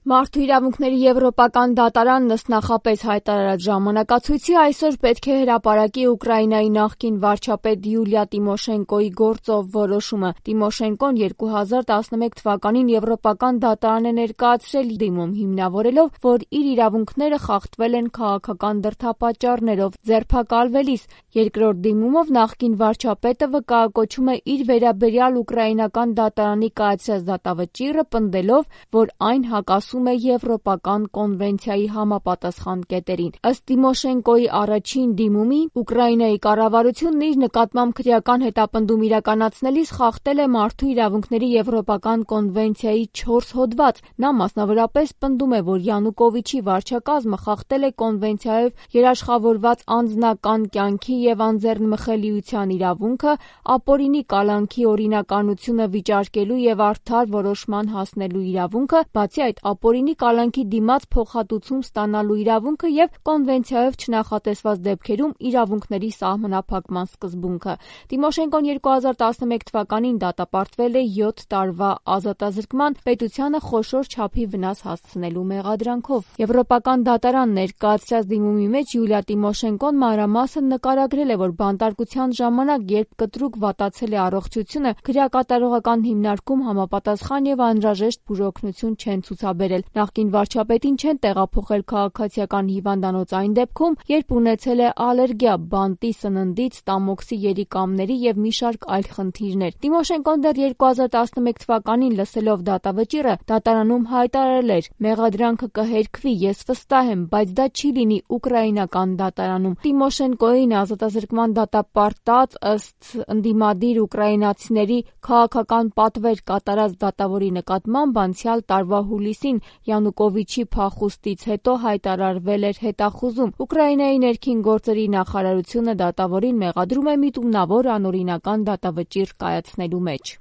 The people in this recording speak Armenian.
Մարդու իրավունքների եվրոպական դատարանն ըստ նախապես հայտարարած ժամանակացույցի այսօր պետք է հրապարակի Ուկրաինայի նախկին վարչապետ Յուլիա Տիմոշենկոյի գործով որոշումը։ Տիմոշենկոն 2011 թվականին եվրոպական դատարան է ներկայացրել դիմում, հիմնավորելով, որ իր իրավունքները խախտվել են քաղաքական դրդապատճառներով ձերբակալվելիս։ Երկրորդ դիմումով նախկին վարչապետը վկայակոչում է իր վերաբերյալ ուկրաինական դատարանի կայացրած դատավճիռը, պնդելով, որ այն հակասում է Եվրոպական կոնվենցիայի համապատասխան կետերին։ Ըստ Տիմոշենկոյի առաջին դիմումի, Ուկրաինայի կառավարությունն իր նկատմամբ քրեական հետապնդում իրականացնելիս խախտել է մարդու իրավունքների Եվրոպական կոնվենցիայի 4 հոդված։ Նա մասնավորապես պնդում է, որ Յանուկովիչի վարչակազմը խախտել է կոնվենցիայով երաշխավորված անձնական կյանքի և անձեռնմխելիության իրավունքը, ապօրինի կալանքի օրինականությունը վիճարկելու և արդար որոշման հասնելու իրավունքը, բացի այդ ապօրինի կալանքի դիմաց փոխհատուցում ստանալու իրավունքը և կոնվենցիայով չնախատեսված դեպքերում իրավունքների սահմանափակման սկզբունքը։ Տիմոշենկոն 2011 թվականին դատապարտվել է 7 տարվա ազատազրկման, պետությանը խոշոր չափի վնաս հասցնելու մեղադրանքով։ Եվրոպական դատարան ներկայացրած դիմումի մեջ Յուլիա Տիմոշենկոն մանրամասն նկարագրել է, որ բանտարկության ժամանակ, երբ կտրուկ վատացել է առողջությունը, քրեակատարողական հիմնարկում համապատասխան և անհրաժեշտ բուժօգնություն չեն ցուցաբերել։ Նախկին վարչապետին չեն տեղափոխել քաղաքացիական հիվանդանոց այն դեպքում, երբ ունեցել է ալերգիա բանտի, սննդի, ստամոքսի երիկամների և մի շարք այլ խնդիրներ։ Տիմոշենկոն դեռ 2011 թվականին լսելով դատավճիռը դատարանում հայտարարել էր. «Մեղադրանքը կհերքվի, ես վստահ եմ, բայց դա չի լինի ուկրաինական դատարանում»։ Տիմոշենկոյին ազատազրկման դատապարտած, ըստ ընդդիմադիր ուկրաինացիների, քաղաքական պատվեր կատարած դատավորի նկատմամբ անցյալ տարվա հուլիսին Յանուկովիչի փախուստից հետո հայտարարվել էր հետախուզում։ Ուկրաինայի ներքին գործերի նախարարությունը դատավորին մեղադրում է միտումնավոր անօրինական դատավճիռ կայացնելու մեջ։